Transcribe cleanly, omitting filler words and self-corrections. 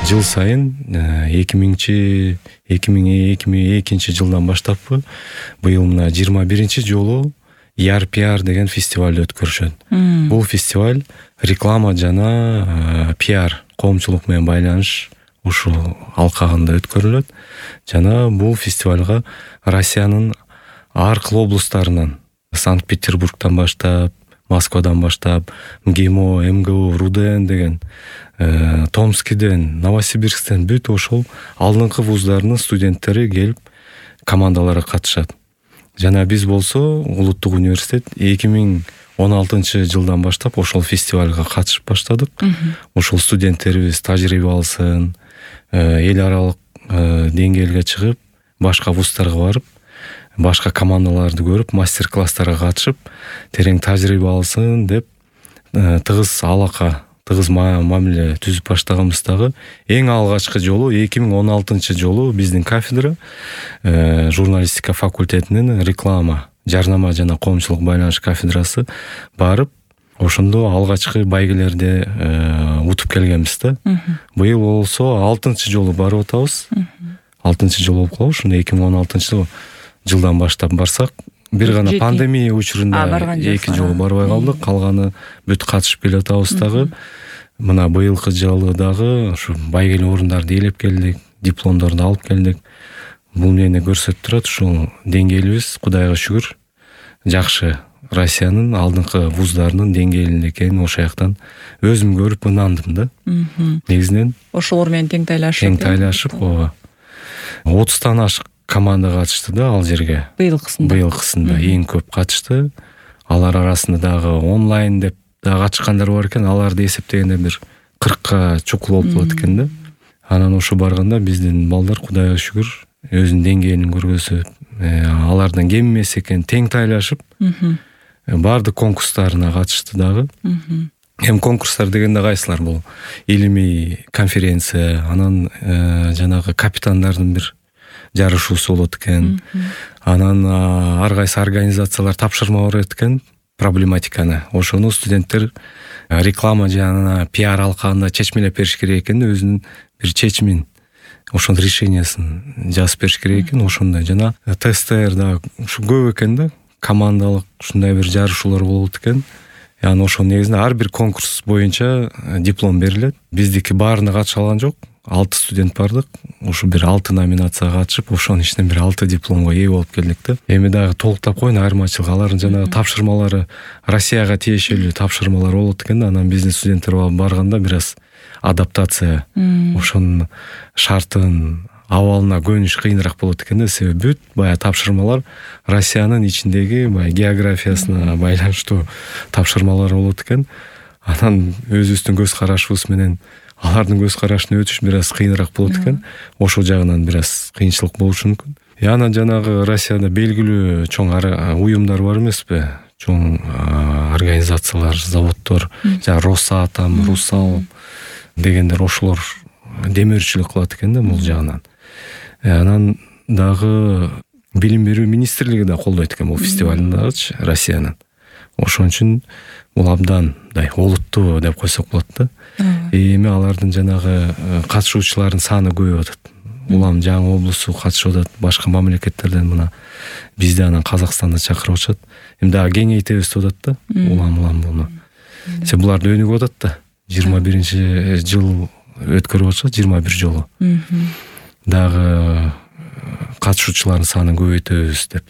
жыл сайын 2002 жылдан баштаппы быйыл мына 21 жолу ER-PR деген фестиваль өткөрүшөт. Бул фестиваль реклама жана PR коомчулук менен байланыш ушул алкагында өткөрүлөт. Жана бул фестивалга Россиянын ар кыл облустарынан, Санкт-Петербургдан баштап, Москвадан баштап, МГИМО, МГУ, РУДН деген, Томскиден, Новосибирсктен бүт ошол алдыңкы вуздарынын студенттери келип командаларга катышат. Жана биз болсо Улуттук университет 2016 жылдан баштап ошол фестивалга катышып баштадык. Ошол студенттерибиз тажрыйба алсын, эл аралык деңгээлге чыгып, башка вуздарга барып, башка командаларды көрүп, мастер-класстарга катышып, терең тажрыйба алсын деп тыгыз алака, тыгыз мамиле түзүп баштаганбыздагы эң алгачкы жолу 2016 жолу биздин кафедра журналистика факультетинин реклама, жарнама жана коомчулук байланыш кафедрасы барып, ошондо алгачкы байгелерди утуп келгенбиз да. Быйыл болсо 6 жолу барып атабыз. 6 жол болуп калды. Ошондо 2016 жылдан баштап барсак, бир гана пандемия учурунда 2 жолу барбай калдык. Калганы бүт катышып келе атабыз дагы. Мына быйылкы жылы дагы ушу байгеле орундарды ээлеп келдик, дипломдорду алып келдик. Бул мени көрсөтүп турат, ушул деңгээлибиз Кудайга шүгүр жакшы. Россиянын алдыңкы вуздарынын деңгээлинде экенин ошол жактан өзүм көрүп ынандым да. Негизинен ошолор менен тең тайлашып, 30тан ашык команда катышты да ал жерге. Быйылкысында эң көп катышты. Алар арасында дагы онлайн деп дагы катышкандар бар экен. Аларды эсептегенде бир 40ка чукул болуп калат экен да. Анан ошо барганда биздин балдар Кудайга шүгүр өзүнүн деңгээлин көргөзүп, алардан кем эмес экен, тең тайлашып, баардык конкурстарына катышты дагы. Эми конкурстар дегенде кайсылар бул? Илимий конференция, анан жанагы капитандардын бир жарышуусу болот экен. Анан ар кайсы организациялар тапшырма берет экен проблематиканы. Ошону студенттер реклама жана PR алкагында чечмелеп бериш керек экен, өзүнүн бир чечимин, ошонун решениясын жазып бериш керек экен. Ошондой жана тесттер да ушу көп экен да. Командалык ушундай бир жарышуулар болот экен. Яны ошол негизинде ар бир конкурс боюнча диплом берилет. Биздики баарына катыша алган жок. 6 студент бардык. Ушу бир 6 номинацияга катышып, ошонун ичинен бир 6 дипломго ээ болуп келдик да. Эми дагы толуктап коеюн, айырмачылык алардын жанагы тапшырмалары Россияга тиешелүү тапшырмалар болот экен да. Анан биздин студенттер барганда бир аз адаптация, ошонун шартын, абалына көнүш кыйыныраак болот экен да. Себеби бүт баягы тапшырмалар Россиянын ичиндеги баягы географиясына байланыштуу тапшырмалар болот экен. Анан өзүбүздүн көз карашыбыз менен алардын көз карашына өтүш бир аз кыйыныраак болот экен. Ошол жагынан бир аз кыйынчылык болушу мүмкүн. Анан жанагы Россияда белгилүү чоң уюмдар бар эмеспи? Чоң организациялар, заводдор, жана Росатом, Русал дегендер, ошолор демөөрчүлүк кылат экен да бул жагынан. Анан дагы билим берүү министрлиги да колдойт экен бул фестивалды дагычы Россиянын. Ошон үчүн бул абдан олуттуу деп койсок болот да. Эми алардын жанагы катышуучулардын саны көбөйүп атат. Улам жаңы облусу катышып атат, башка мамлекеттерден мына бизди анан Казакстанды чакырып атышат. Эми дагы кеңейтебиз деп атат да. Улам буну. Себеби буларды өнүгүп атат да. 21 жыл өткөрүп атышат, 21 жолу. Дагы катышуучулардын санын көбөйтөбүз деп.